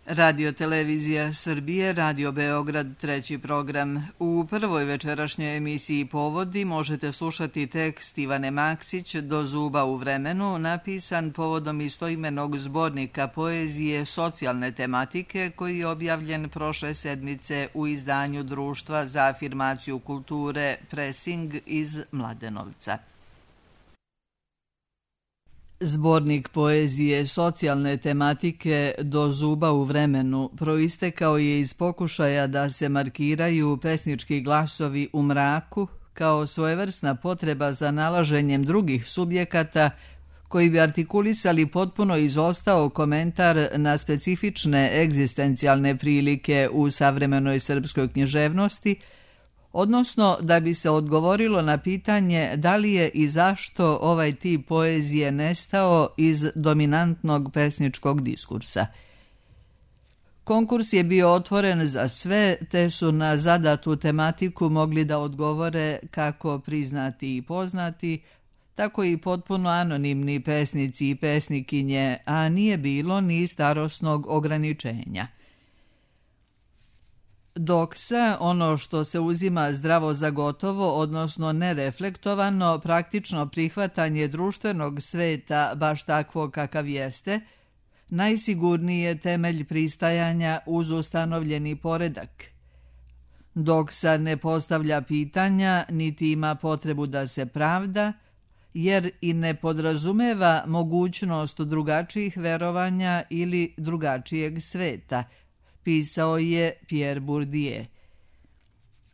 Radio Televizija Srbije, Radio Beograd, treći program. U prvoj večerašnjoj emisiji Povodi možete slušati tekst Ivane Maksić Do zuba u vremenu, napisan povodom istoimenog zbornika poezije socijalne tematike koji je objavljen prošle sedmice u izdanju Društva za afirmaciju kulture Presing iz Mladenovca. Zbornik poezije socijalne tematike Do zuba u vremenu proistekao je iz pokušaja da se markiraju pesnički glasovi u mraku kao svojevrsna potreba za nalaženjem drugih subjekata koji bi artikulisali potpuno izostao komentar na specifične egzistencijalne prilike u savremenoj srpskoj književnosti, odnosno da bi se odgovorilo na pitanje da li je i zašto ovaj tip poezije nestao iz dominantnog pesničkog diskursa. Konkurs je bio otvoren za sve, te su na zadatu tematiku mogli da odgovore kako priznati i poznati, tako i potpuno anonimni pesnici i pesnikinje, a nije bilo ni starosnog ograničenja. Doksa, ono što se uzima zdravo za gotovo, odnosno nereflektovano, praktično prihvatanje društvenog sveta baš takvog kakav jeste, najsigurniji je temelj pristajanja uz ustanovljeni poredak. Doksa ne postavlja pitanja, niti ima potrebu da se pravda, jer i ne podrazumeva mogućnost drugačijih verovanja ili drugačijeg sveta, pisao je Pierre Bourdieu.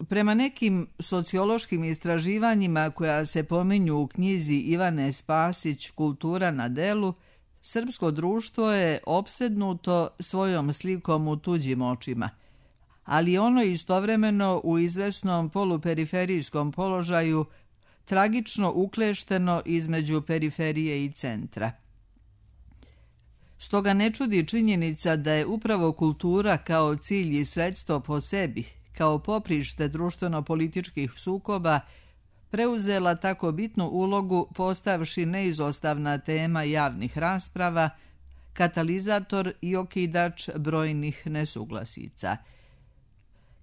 Prema nekim sociološkim istraživanjima koja se pominju u knjizi Ivane Spasić Kultura na delu, srpsko društvo je opsednuto svojom slikom u tuđim očima, ali ono istovremeno u izvesnom poluperiferijskom položaju tragično uklešteno između periferije i centra. Stoga ne čudi činjenica da je upravo kultura kao cilj i sredstvo po sebi, kao poprište društveno-političkih sukoba, preuzela tako bitnu ulogu postavši neizostavna tema javnih rasprava, katalizator i okidač brojnih nesuglasica.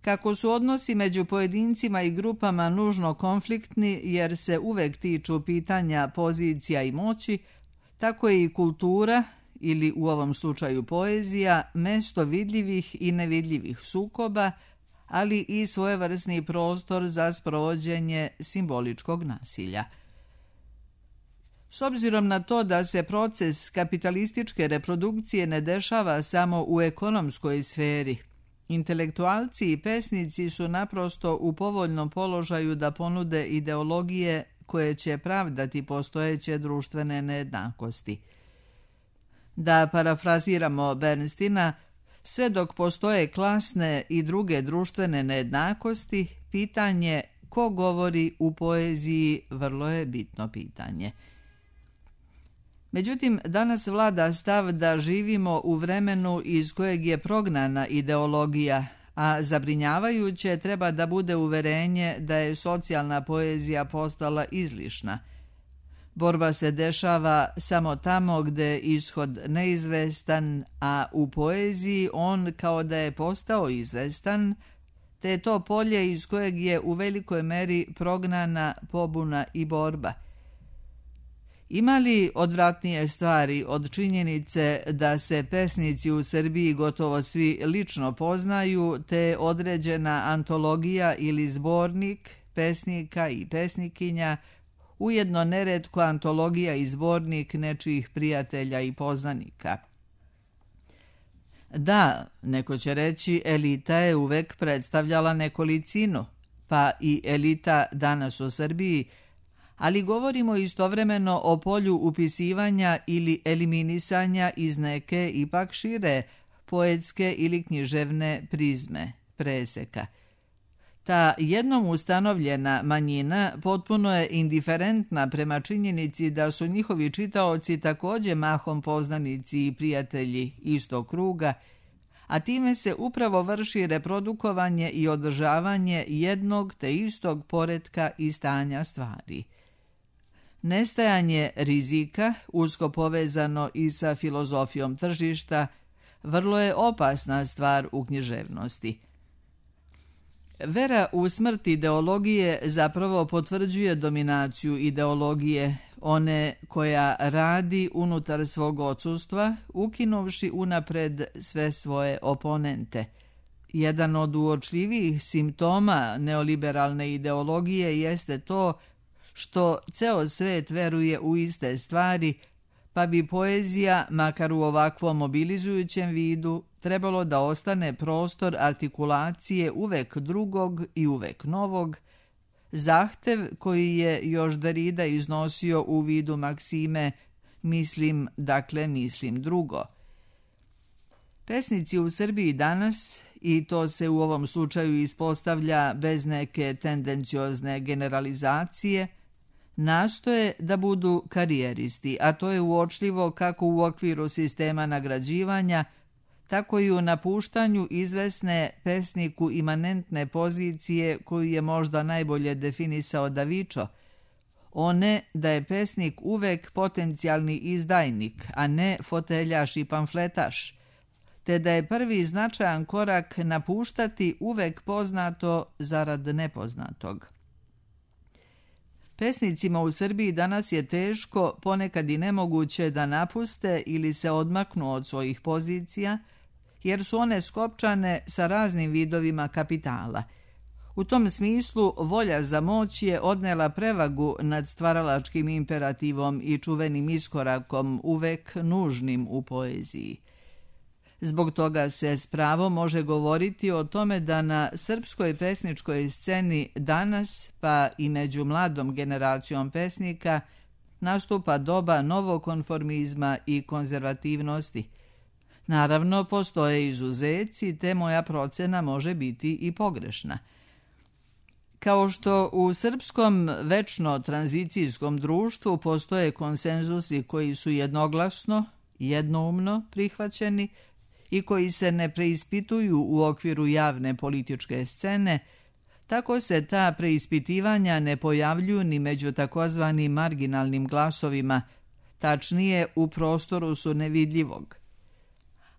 Kako su odnosi među pojedincima i grupama nužno konfliktni jer se uvek tiču pitanja pozicija i moći, tako je i kultura, ili u ovom slučaju poezija, mesto vidljivih i nevidljivih sukoba, ali i svojevrsni prostor za sprovođenje simboličkog nasilja. S obzirom na to da se proces kapitalističke reprodukcije ne dešava samo u ekonomskoj sferi, intelektualci i pesnici su naprosto u povoljnom položaju da ponude ideologije koje će pravdati postojeće društvene nejednakosti. Da parafraziramo Bernstina, sve dok postoje klasne i druge društvene nejednakosti, pitanje ko govori u poeziji vrlo je bitno pitanje. Međutim, danas vlada stav da živimo u vremenu iz kojeg je prognana ideologija, a zabrinjavajuće treba da bude uverenje da je socijalna poezija postala izlišna. Borba se dešava samo tamo gde je ishod neizvestan, a u poeziji on kao da je postao izvestan, te je to polje iz kojeg je u velikoj meri prognana pobuna i borba. Ima li odvratnije stvari od činjenice da se pesnici u Srbiji gotovo svi lično poznaju, te određena antologija ili zbornik pesnika i pesnikinja, ujedno neretko antologija i zbornik nečijih prijatelja i poznanika? Da, neko će reći, elita je uvek predstavljala nekolicinu, pa i elita danas u Srbiji, ali govorimo istovremeno o polju upisivanja ili eliminisanja iz neke ipak šire poetske ili književne prizme, preseka. Ta jednom ustanovljena manjina potpuno je indiferentna prema činjenici da su njihovi čitaoci također mahom poznanici i prijatelji istog kruga, a time se upravo vrši reprodukovanje i održavanje jednog te istog poretka i stanja stvari. Nestajanje rizika, usko povezano i sa filozofijom tržišta, vrlo je opasna stvar u književnosti. Vera u smrt ideologije zapravo potvrđuje dominaciju ideologije, one koja radi unutar svog odsustva, ukinuvši unapred sve svoje oponente. Jedan od uočljivijih simptoma neoliberalne ideologije jeste to što ceo svet veruje u iste stvari, pa bi poezija, makar u ovakvom mobilizujućem vidu, trebalo da ostane prostor artikulacije uvek drugog i uvek novog, zahtev koji je još Derrida iznosio u vidu maksime mislim, dakle mislim drugo. Pesnici u Srbiji danas, i to se u ovom slučaju ispostavlja bez neke tendenciozne generalizacije, nastoje da budu karijeristi, a to je uočljivo kako u okviru sistema nagrađivanja, tako i u napuštanju izvesne pesniku imanentne pozicije koju je možda najbolje definisao Davičo, one da je pesnik uvek potencijalni izdajnik, a ne foteljaš i pamfletaš, te da je prvi značajan korak napuštati uvek poznato zarad nepoznatog. Pesnicima u Srbiji danas je teško, ponekad i nemoguće da napuste ili se odmaknu od svojih pozicija, jer su one skopčane sa raznim vidovima kapitala. U tom smislu volja za moć je odnela prevagu nad stvaralačkim imperativom i čuvenim iskorakom uvek nužnim u poeziji. Zbog toga se s pravom može govoriti o tome da na srpskoj pesničkoj sceni danas, pa i među mladom generacijom pesnika, nastupa doba novokonformizma i konzervativnosti. Naravno, postoje izuzeci, te moja procena može biti i pogrešna. Kao što u srpskom večno tranzicijskom društvu postoje konsenzusi koji su jednoglasno, jednoumno prihvaćeni i koji se ne preispituju u okviru javne političke scene, tako se ta preispitivanja ne pojavljuju ni među takozvanim marginalnim glasovima, tačnije u prostoru su nevidljivog.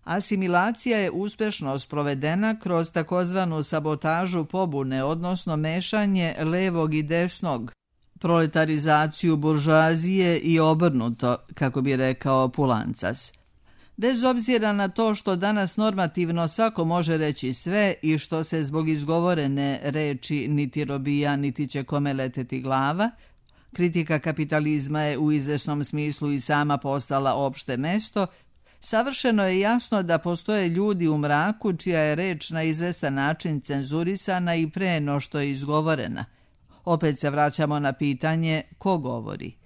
Asimilacija je uspešno sprovedena kroz takozvanu sabotažu pobune, odnosno mešanje levog i desnog, proletarizaciju buržoazije i obrnuto, kako bi rekao Pulancas. Bez obzira na to što danas normativno svako može reći sve i što se zbog izgovorene reči niti robija, niti će kome leteti glava, kritika kapitalizma je u izvesnom smislu i sama postala opšte mesto, savršeno je jasno da postoje ljudi u mraku čija je reč na izvestan način cenzurisana i pre no što je izgovorena. Opet se vraćamo na pitanje ko govori.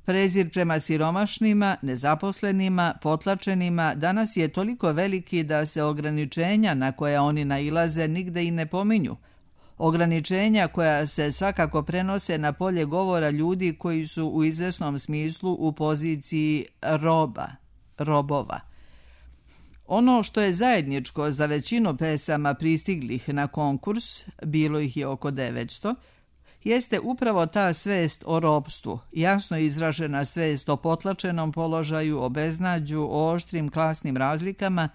Prezir prema siromašnima, nezaposlenima, potlačenima danas je toliko veliki da se ograničenja na koja oni nailaze nigde i ne pominju. Ograničenja koja se svakako prenose na polje govora ljudi koji su u izvesnom smislu u poziciji robova. Ono što je zajedničko za većinu pesama pristiglih na konkurs, bilo ih je oko 900, jeste upravo ta svest o ropstvu, jasno izražena svest o potlačenom položaju, o beznađu, o oštrim klasnim razlikama,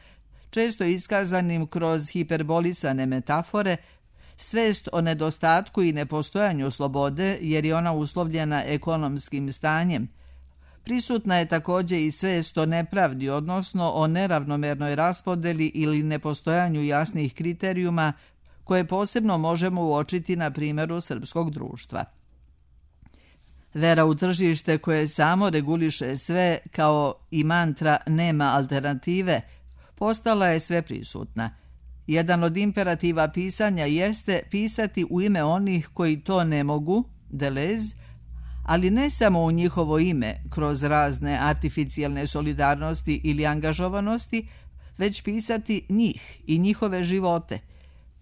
često iskazanim kroz hiperbolisane metafore, svest o nedostatku i nepostojanju slobode jer je ona uslovljena ekonomskim stanjem. Prisutna je također i svest o nepravdi, odnosno o neravnomernoj raspodeli ili nepostojanju jasnih kriterijuma koje posebno možemo uočiti na primjeru srpskog društva. Vera u tržište koje samo reguliše sve, kao i mantra nema alternative, postala je sveprisutna. Jedan od imperativa pisanja jeste pisati u ime onih koji to ne mogu, Deleuze, ali ne samo u njihovo ime, kroz razne artificijalne solidarnosti ili angažovanosti, već pisati njih i njihove živote.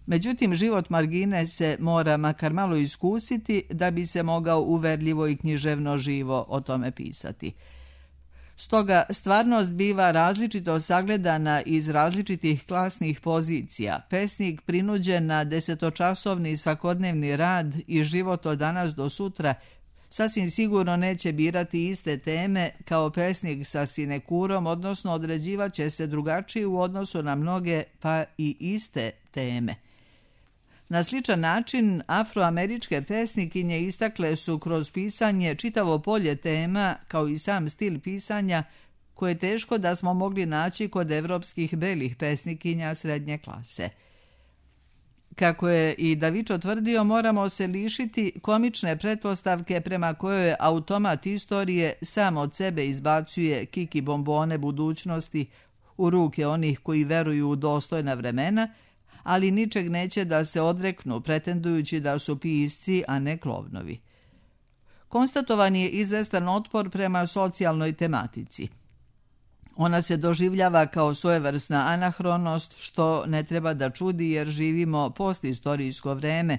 Međutim, život margine se mora makar malo iskusiti da bi se mogao uverljivo i književno živo o tome pisati. Stoga stvarnost biva različito sagledana iz različitih klasnih pozicija. Pesnik prinuđen na 10-časovni svakodnevni rad i život od danas do sutra Sasvim sigurno neće birati iste teme kao pesnik sa sinekurom, odnosno određivat će se drugačije u odnosu na mnoge pa i iste teme. Na sličan način, afroameričke pesnikinje istakle su kroz pisanje čitavo polje tema, kao i sam stil pisanja, koje je teško da smo mogli naći kod evropskih belih pesnikinja srednje klase. Kako je i Davičo tvrdio, moramo se lišiti komične pretpostavke prema kojoj automat istorije sam od sebe izbacuje kiki bombone budućnosti u ruke onih koji veruju u dostojna vremena, ali ničeg neće da se odreknu, pretendujući da su pisci, a ne klovnovi. Konstatovan je izvestan otpor prema socijalnoj tematici. Ona se doživljava kao svojevrsna anahronost, što ne treba da čudi jer živimo postistorijsko vreme.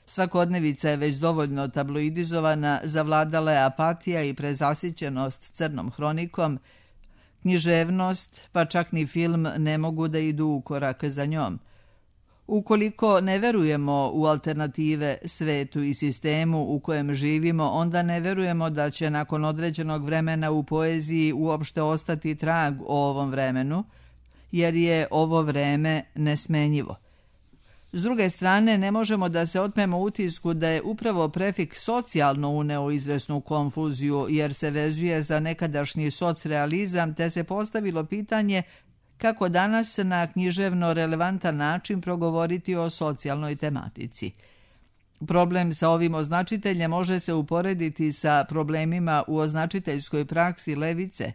Svakodnevica je već dovoljno tabloidizovana, zavladala je apatija i prezasićenost crnom hronikom. Književnost, pa čak ni film, ne mogu da idu u korak za njom. Ukoliko ne verujemo u alternative svetu i sistemu u kojem živimo, onda ne verujemo da će nakon određenog vremena u poeziji uopšte ostati trag o ovom vremenu, jer je ovo vreme nesmenjivo. S druge strane, ne možemo da se otmemo utisku da je upravo prefiks socijalno uneo izvesnu konfuziju, jer se vezuje za nekadašnji socrealizam, te se postavilo pitanje kako danas na književno relevantan način progovoriti o socijalnoj tematici. Problem sa ovim označiteljem može se uporediti sa problemima u označiteljskoj praksi levice.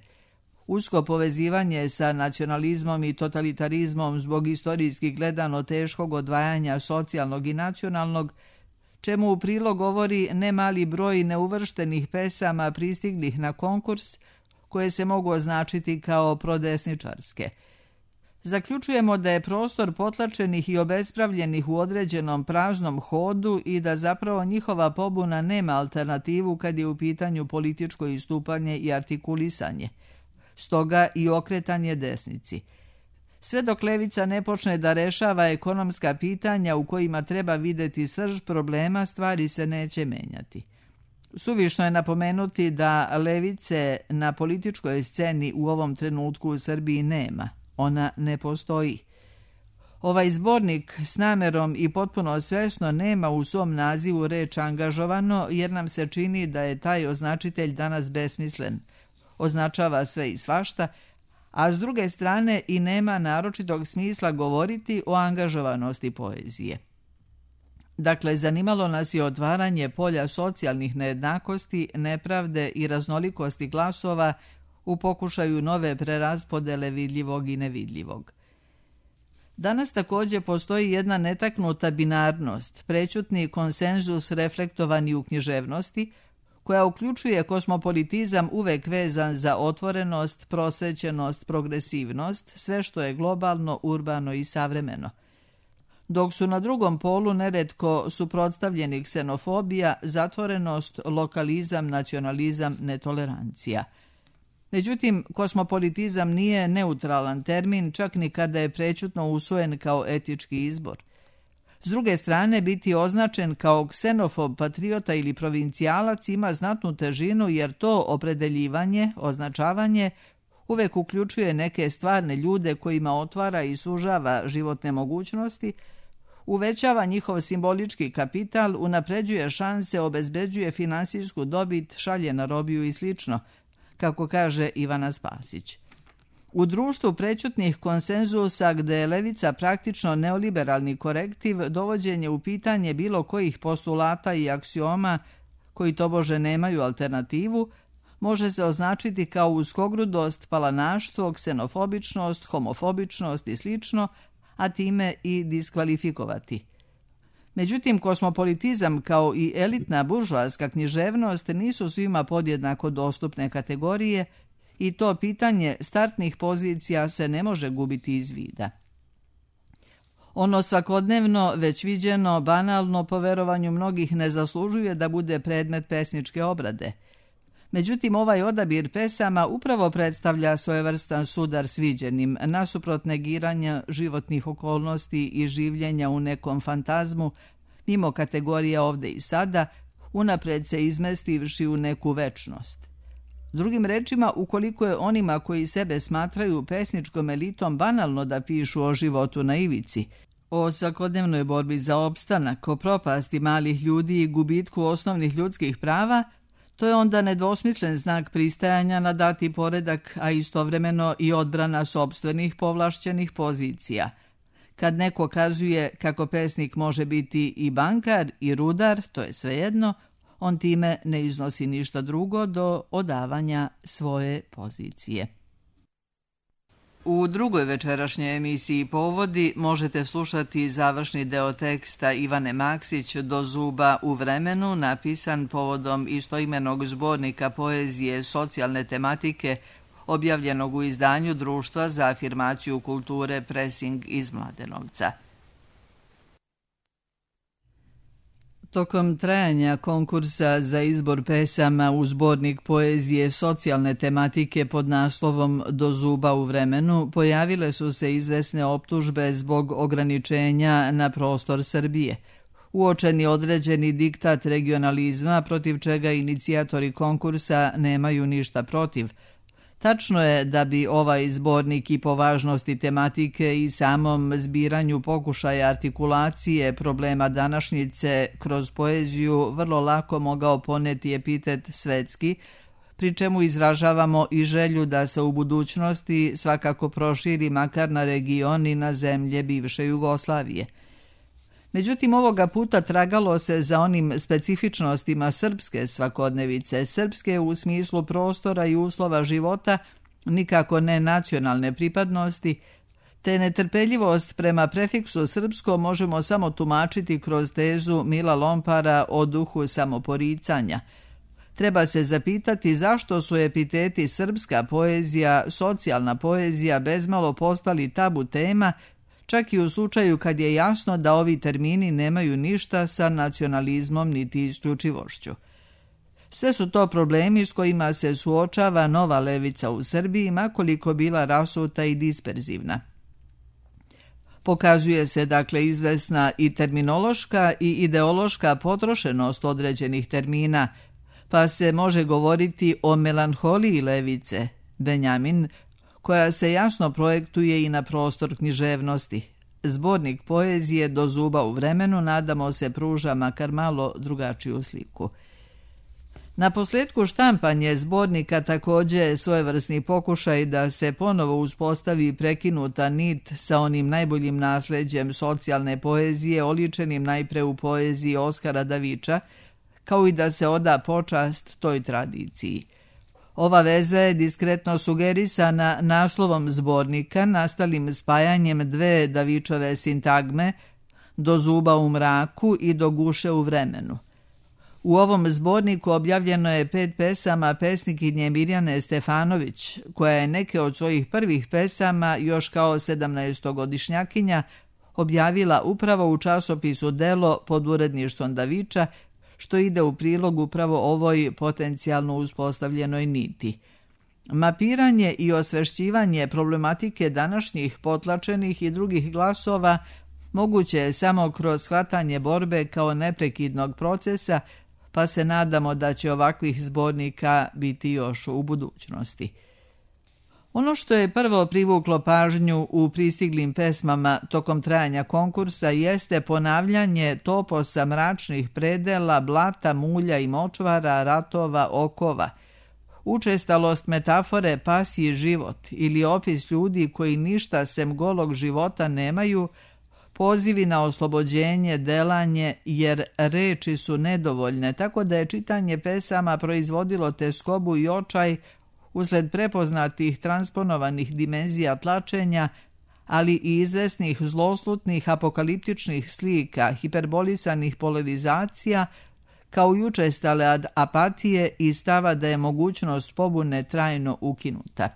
Usko povezivanje sa nacionalizmom i totalitarizmom zbog istorijski gledano teškog odvajanja socijalnog i nacionalnog, čemu u prilog govori nemali broj neuvrštenih pesama pristiglih na konkurs, koje se mogu označiti kao prodesničarske. Zaključujemo da je prostor potlačenih i obespravljenih u određenom praznom hodu i da zapravo njihova pobuna nema alternativu kad je u pitanju političko istupanje i artikulisanje. Stoga i okretanje desnici. Sve dok levica ne počne da rešava ekonomska pitanja u kojima treba videti srž problema, stvari se neće menjati. Suvišno je napomenuti da levice na političkoj sceni u ovom trenutku u Srbiji nema. Ona ne postoji. Ovaj zbornik s namerom i potpuno svesno nema u svom nazivu reč angažovano, jer nam se čini da je taj označitelj danas besmislen. Označava sve i svašta, a s druge strane i nema naročitog smisla govoriti o angažovanosti poezije. Dakle, zanimalo nas je otvaranje polja socijalnih nejednakosti, nepravde i raznolikosti glasova u pokušaju nove preraspodele vidljivog i nevidljivog. Danas također postoji jedna netaknuta binarnost, prećutni konsenzus reflektovani u književnosti, koja uključuje kosmopolitizam uvek vezan za otvorenost, prosvećenost, progresivnost, sve što je globalno, urbano i savremeno. Dok su na drugom polu neretko suprotstavljeni ksenofobija, zatvorenost, lokalizam, nacionalizam, netolerancija. Međutim, kosmopolitizam nije neutralan termin, čak ni kada je prećutno usvojen kao etički izbor. S druge strane, biti označen kao ksenofob, patriota ili provincijalac ima znatnu težinu jer to opredeljivanje, označavanje, uvek uključuje neke stvarne ljude kojima otvara i sužava životne mogućnosti, uvećava njihov simbolički kapital, unapređuje šanse, obezbeđuje finansijsku dobit, šalje na robiju i slično, kako kaže Ivana Spasić. U društvu prećutnih konsenzusa gde je levica praktično neoliberalni korektiv, dovođenje u pitanje bilo kojih postulata i aksioma koji tobože nemaju alternativu, može se označiti kao uskogrudost, palanaštvo, ksenofobičnost, homofobičnost i slično, a time i diskvalifikovati. Međutim, kosmopolitizam kao i elitna buržoaska književnost nisu svima podjednako dostupne kategorije i to pitanje startnih pozicija se ne može gubiti iz vida. Ono svakodnevno, već viđeno, banalno po verovanju mnogih ne zaslužuje da bude predmet pesničke obrade. Međutim, ovaj odabir pesama upravo predstavlja svojevrstan sudar sviđenim, nasuprot negiranja životnih okolnosti i življenja u nekom fantazmu, mimo kategorija ovde i sada, unapred se izmestivši u neku večnost. Drugim rečima, ukoliko je onima koji sebe smatraju pesničkom elitom banalno da pišu o životu na ivici, o svakodnevnoj borbi za opstanak, o propasti malih ljudi i gubitku osnovnih ljudskih prava, to je onda nedvosmislen znak pristajanja na dati poredak, a istovremeno i odbrana sopstvenih povlašćenih pozicija. Kad neko kazuje kako pesnik može biti i bankar i rudar, to je svejedno, on time ne iznosi ništa drugo do odavanja svoje pozicije. U drugoj večerašnjoj emisiji Povodi možete slušati završni deo teksta Ivane Maksić Do zuba u vremenu, napisan povodom istoimenog zbornika poezije socijalne tematike, objavljenog u izdanju Društva za afirmaciju kulture Presing iz Mladenovca. Tokom trajanja konkursa za izbor pesama u zbornik poezije socijalne tematike pod naslovom Do zuba u vremenu pojavile su se izvesne optužbe zbog ograničenja na prostor Srbije. Uočeni određeni diktat regionalizma protiv čega inicijatori konkursa nemaju ništa protiv. Tačno je da bi ovaj zbornik i po važnosti tematike i samom zbiranju pokušaja artikulacije problema današnjice kroz poeziju vrlo lako mogao poneti epitet svetski, pri čemu izražavamo i želju da se u budućnosti svakako proširi makar na region i na zemlje bivše Jugoslavije. Međutim, ovoga puta tragalo se za onim specifičnostima srpske svakodnevice, srpske u smislu prostora i uslova života, nikako ne nacionalne pripadnosti, te netrpeljivost prema prefiksu srpsko možemo samo tumačiti kroz tezu Mila Lompara o duhu samoporicanja. Treba se zapitati zašto su epiteti srpska poezija, socijalna poezija bezmalo postali tabu tema, čak i u slučaju kad je jasno da ovi termini nemaju ništa sa nacionalizmom niti isključivošću. Sve su to problemi s kojima se suočava nova levica u Srbiji, makoliko bila rasuta i disperzivna. Pokazuje se dakle izvesna i terminološka i ideološka potrošenost određenih termina, pa se može govoriti o melanholiji levice, Benjamin, koja se jasno projektuje i na prostor književnosti. Zbornik poezije Do zuba u vremenu, nadamo se, pruža makar malo drugačiju sliku. Na posljedku štampanje zbornika također je svojevrsni pokušaj da se ponovo uspostavi prekinuta nit sa onim najboljim nasleđem socijalne poezije, oličenim najpre u poeziji Oskara Davića, kao i da se oda počast toj tradiciji. Ova veza je diskretno sugerisana naslovom zbornika, nastalim spajanjem dve Davićove sintagme, Do zuba u mraku i Do guše u vremenu. U ovom zborniku objavljeno je 5 pesama pesnikinje Mirjane Stefanović, koja je neke od svojih prvih pesama još kao 17-godišnjakinja objavila upravo u časopisu Delo pod uredništvom Davića, što ide u prilog upravo ovoj potencijalno uspostavljenoj niti. Mapiranje i osvešćivanje problematike današnjih potlačenih i drugih glasova moguće je samo kroz shvatanje borbe kao neprekidnog procesa, pa se nadamo da će ovakvih zbornika biti još u budućnosti. Ono što je prvo privuklo pažnju u pristiglim pesmama tokom trajanja konkursa jeste ponavljanje toposa mračnih predela, blata, mulja i močvara, ratova, okova, učestalost metafore pasji život ili opis ljudi koji ništa sem golog života nemaju, pozivi na oslobođenje, delanje, jer reči su nedovoljne, tako da je čitanje pesama proizvodilo teskobu i očaj usled prepoznatih transponovanih dimenzija tlačenja, ali i izvesnih zloslutnih apokaliptičnih slika, hiperbolisanih polarizacija, kao i učestale apatije i stava da je mogućnost pobune trajno ukinuta.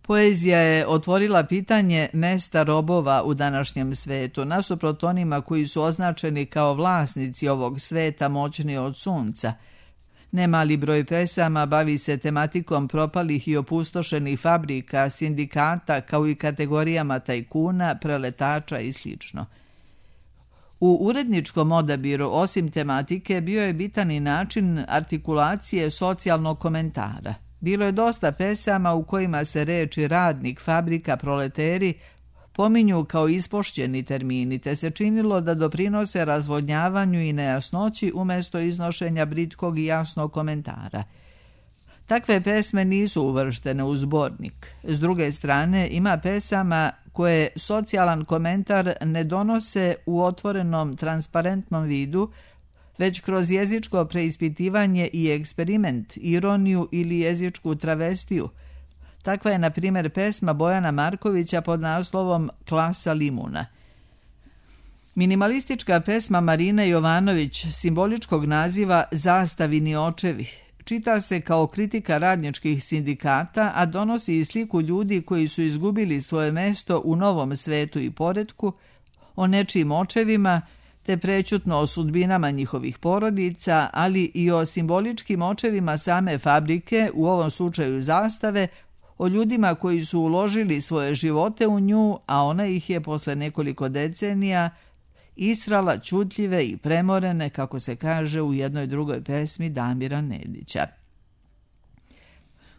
Poezija je otvorila pitanje mesta robova u današnjem svetu, nasuprot onima koji su označeni kao vlasnici ovog sveta moćni od sunca. Nemali broj pesama bavi se tematikom propalih i opustošenih fabrika, sindikata, kao i kategorijama tajkuna, preletača i sl. U uredničkom odabiru, osim tematike, bio je bitan i način artikulacije socijalnog komentara. Bilo je dosta pesama u kojima se reči radnik, fabrika, proleteri pominju kao ispošćeni termini, te se činilo da doprinose razvodnjavanju i nejasnoći umjesto iznošenja britkog i jasnog komentara. Takve pesme nisu uvrštene u zbornik. S druge strane, ima pesama koje socijalan komentar ne donose u otvorenom, transparentnom vidu, već kroz jezičko preispitivanje i eksperiment, ironiju ili jezičku travestiju. Takva je, na primjer, pesma Bojana Markovića pod naslovom Klasa limuna. Minimalistička pesma Marine Jovanović, simboličkog naziva Zastavini očevi, čita se kao kritika radničkih sindikata, a donosi i sliku ljudi koji su izgubili svoje mesto u novom svetu i poretku, o nečijim očevima, te prećutno o sudbinama njihovih porodica, ali i o simboličkim očevima same fabrike, u ovom slučaju Zastave, o ljudima koji su uložili svoje živote u nju, a ona ih je posle nekoliko decenija israla ćutljive i premorene, kako se kaže u jednoj drugoj pesmi Damira Nedića.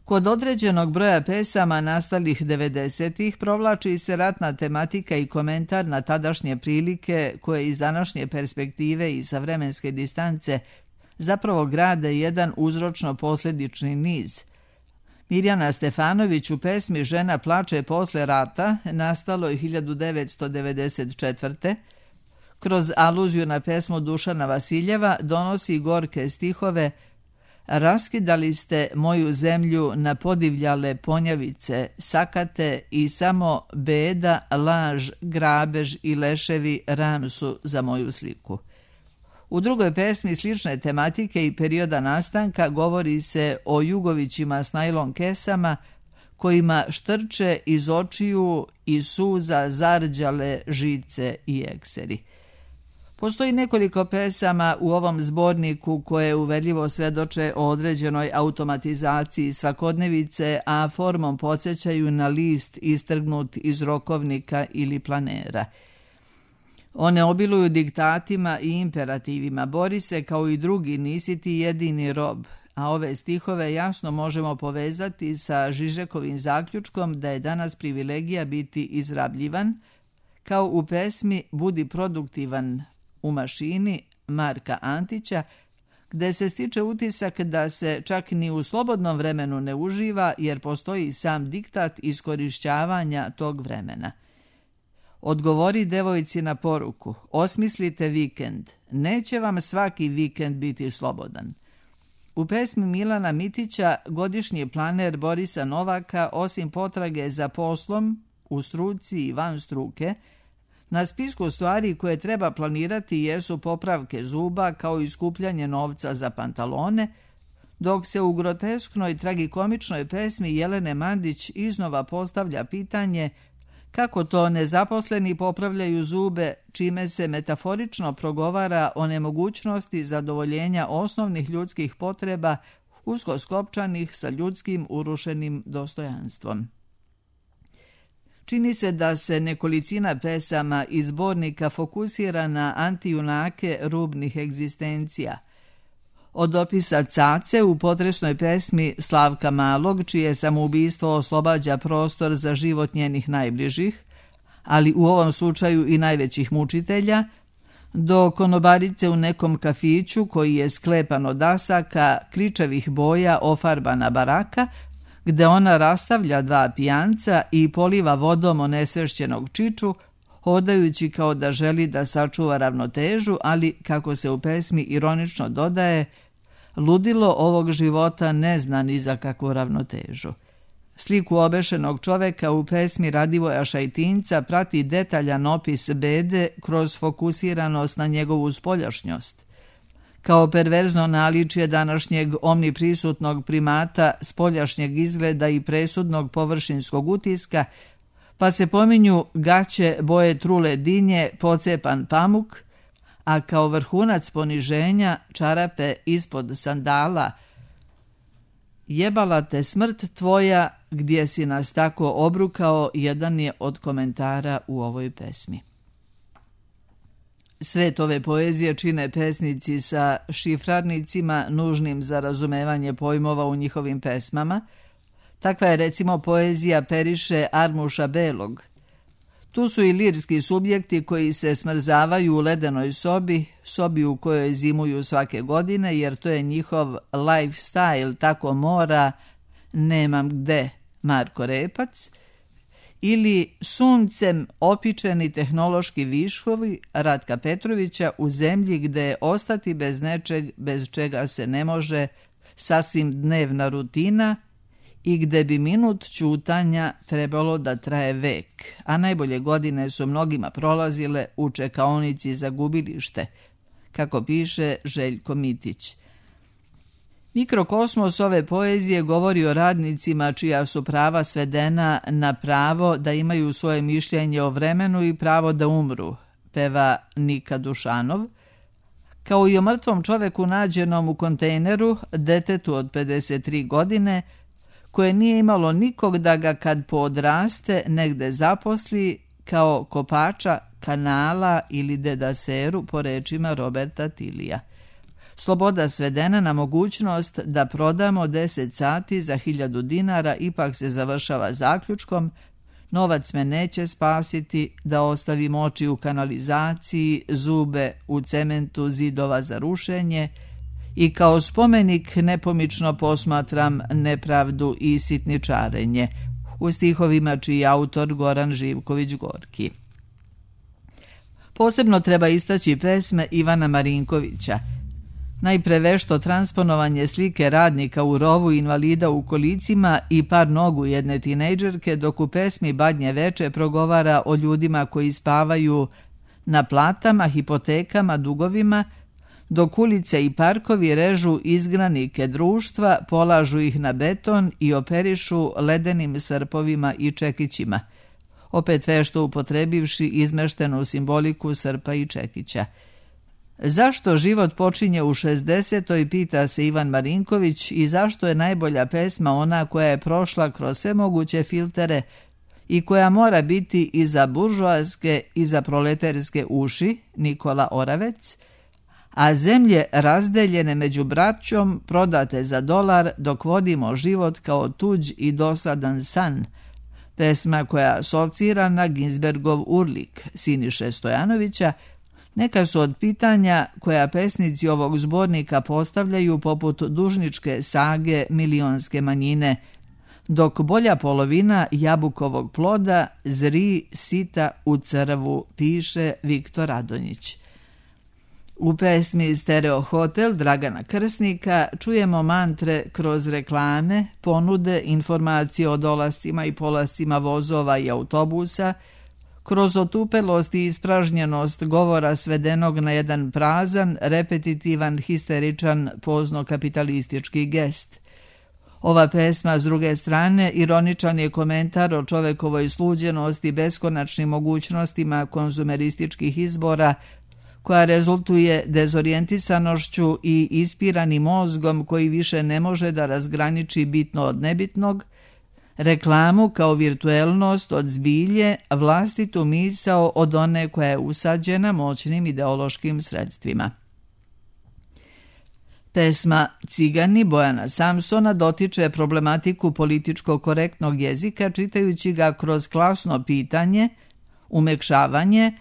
Kod određenog broja pesama nastalih 90-ih provlači se ratna tematika i komentar na tadašnje prilike koje iz današnje perspektive i sa vremenske distance zapravo grade jedan uzročno-posljedični niz. Mirjana Stefanović u pesmi Žena plače posle rata, nastalo je 1994. kroz aluziju na pesmu Dušana Vasiljeva donosi gorke stihove: Raskidali ste moju zemlju na podivljale ponjavice, sakate i samo beda, laž, grabež i leševi ram su za moju sliku. U drugoj pesmi slične tematike i perioda nastanka govori se o Jugovićima s najlon kesama kojima štrče iz očiju i suza zarđale žice i ekseri. Postoji nekoliko pesama u ovom zborniku koje uverljivo svedoče o određenoj automatizaciji svakodnevice, a formom podsjećaju na list istrgnut iz rokovnika ili planera. One obiluju diktatima i imperativima: bori se kao i drugi, nisi ti jedini rob, a ove stihove jasno možemo povezati sa Žižekovim zaključkom da je danas privilegija biti izrabljivan, kao u pesmi Budi produktivan u mašini Marka Antića, gde se stiče utisak da se čak ni u slobodnom vremenu ne uživa jer postoji sam diktat iskorišćavanja tog vremena. Odgovori devojci na poruku: osmislite vikend, neće vam svaki vikend biti slobodan. U pesmi Milana Mitića godišnji planer Borisa Novaka, osim potrage za poslom, u struci i van struke, na spisku stvari koje treba planirati jesu popravke zuba kao i skupljanje novca za pantalone, dok se u grotesknoj tragikomičnoj pesmi Jelene Mandić iznova postavlja pitanje kako to nezaposleni popravljaju zube, čime se metaforično progovara o nemogućnosti zadovoljenja osnovnih ljudskih potreba usko skopčanih sa ljudskim urušenim dostojanstvom. Čini se da se nekolicina pesama iz zbornika fokusira na antijunake rubnih egzistencija. Od opisa Cace u potresnoj pesmi Slavka Malog, čije samoubistvo oslobađa prostor za život njenih najbližih, ali u ovom slučaju i najvećih mučitelja, do konobarice u nekom kafiću koji je sklepan od dasaka, kričevih boja, ofarbana baraka, gde ona rastavlja dva pijanca i poliva vodom onesvešćenog čiču, hodajući kao da želi da sačuva ravnotežu, ali, kako se u pesmi ironično dodaje, ludilo ovog života ne zna ni za kakvu ravnotežu. Sliku obešenog čoveka u pesmi Radivoja Šajtinca prati detaljan opis bede kroz fokusiranost na njegovu spoljašnjost. Kao perverzno naličje današnjeg omniprisutnog primata spoljašnjeg izgleda i presudnog površinskog utiska, pa se pominju gaće boje trule dinje, pocepan pamuk, a kao vrhunac poniženja čarape ispod sandala. Jebala te smrt tvoja, gdje si nas tako obrukao, jedan je od komentara u ovoj pesmi. Svet ove poezije čine pesnici sa šifrarnicima nužnim za razumevanje pojmova u njihovim pesmama. Takva je recimo poezija Periše Armuša Belog. Tu su i lirski subjekti koji se smrzavaju u ledenoj sobi u kojoj zimuju svake godine, jer to je njihov lifestyle, tako mora, nemam gde, Marko Repac, ili suncem opičeni tehnološki viškovi Ratka Petrovića u zemlji gde ostati bez nečeg bez čega se ne može, sasvim dnevna rutina i gde bi minut ćutanja trebalo da traje vek, a najbolje godine su mnogima prolazile u čekaonici za gubilište, kako piše Željko Mitić. Mikrokosmos ove poezije govori o radnicima čija su prava svedena na pravo da imaju svoje mišljenje o vremenu i pravo da umru, peva Nika Dušanov, kao i o mrtvom čoveku nađenom u kontejneru, detetu od 53 godine, koje nije imalo nikog da ga kad poodraste negde zaposli kao kopača kanala ili dedaseru, po rečima Roberta Tilija. Sloboda svedena na mogućnost da prodamo 10 sati za 1000 dinara ipak se završava zaključkom: novac me neće spasiti, da ostavim oči u kanalizaciji, zube u cementu zidova za rušenje i kao spomenik nepomično posmatram nepravdu i sitničarenje, u stihovima čiji je autor Goran Živković Gorki. Posebno treba istaći pesme Ivana Marinkovića. Najpre vešto transponovanje slike radnika u rovu invalida u kolicima i par nogu jedne tinejdžerke, dok u pesmi Badnje veče progovara o ljudima koji spavaju na platama, hipotekama, dugovima, dok ulice i parkovi režu izgranike društva, polažu ih na beton i operišu ledenim srpovima i čekićima, opet vešto upotrebivši izmeštenu simboliku srpa i čekića. Zašto život počinje u 60. pita se Ivan Marinković, i zašto je najbolja pesma ona koja je prošla kroz sve moguće filtere i koja mora biti i za buržoaske i za proletarske uši, Nikola Oravec, a zemlje razdeljene među braćom prodate za $1 dok vodimo život kao tuđ i dosadan san, pesma koja asocira na Ginsbergov Urlik Siniše Stojanovića, neka su od pitanja koja pesnici ovog zbornika postavljaju poput dužničke sage milionske manjine, dok bolja polovina jabukovog ploda zri sita u crvu, piše Viktor Radonjić. U pesmi Stereo Hotel Dragana Krsnika čujemo mantre kroz reklame, ponude, informacije o dolascima i polascima vozova i autobusa, kroz otupelost i ispražnjenost govora svedenog na jedan prazan, repetitivan, histeričan, pozno-kapitalistički gest. Ova pesma, s druge strane, ironičan je komentar o čovekovoj sluđenosti beskonačnim mogućnostima konzumerističkih izbora, koja rezultuje dezorijentisanošću i ispiranim mozgom koji više ne može da razgraniči bitno od nebitnog, reklamu kao virtuelnost od zbilje, vlastitu misao od one koja je usađena moćnim ideološkim sredstvima. Pesma Cigani Bojana Samsona dotiče problematiku političko korektnog jezika čitajući ga kroz klasno pitanje, umekšavanje,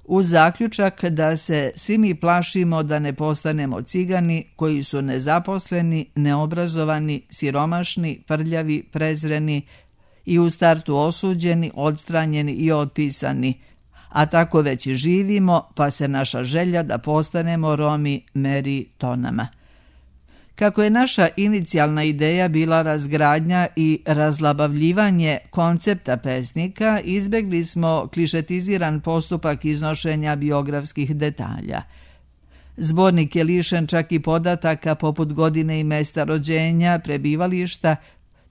uz zaključak da se svi mi plašimo da ne postanemo cigani koji su nezaposleni, neobrazovani, siromašni, prljavi, prezreni i u startu osuđeni, odstranjeni i otpisani, a tako već i živimo, pa se naša želja da postanemo Romi meri tonama. Kako je naša inicijalna ideja bila razgradnja i razlabavljivanje koncepta pesnika, izbegli smo klišetiziran postupak iznošenja biografskih detalja. Zbornik je lišen čak i podataka poput godine i mesta rođenja, prebivališta,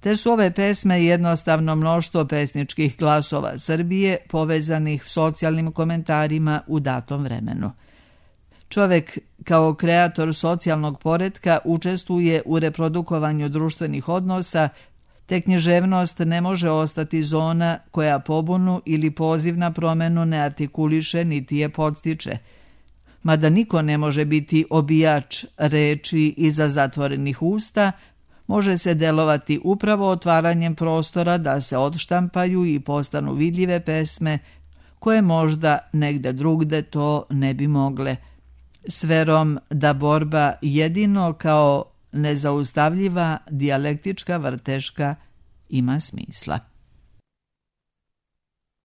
te su ove pesme jednostavno mnoštvo pesničkih glasova Srbije povezanih socijalnim komentarima u datom vremenu. Čovek kao kreator socijalnog poretka učestvuje u reprodukovanju društvenih odnosa, te književnost ne može ostati zona koja pobunu ili poziv na promenu ne artikuliše niti je podstiče. mada niko ne može biti obijač reči iza zatvorenih usta, može se delovati upravo otvaranjem prostora da se odštampaju i postanu vidljive pesme koje možda negde drugde to ne bi mogle, s verom da borba jedino kao nezaustavljiva dijalektička vrteška ima smisla.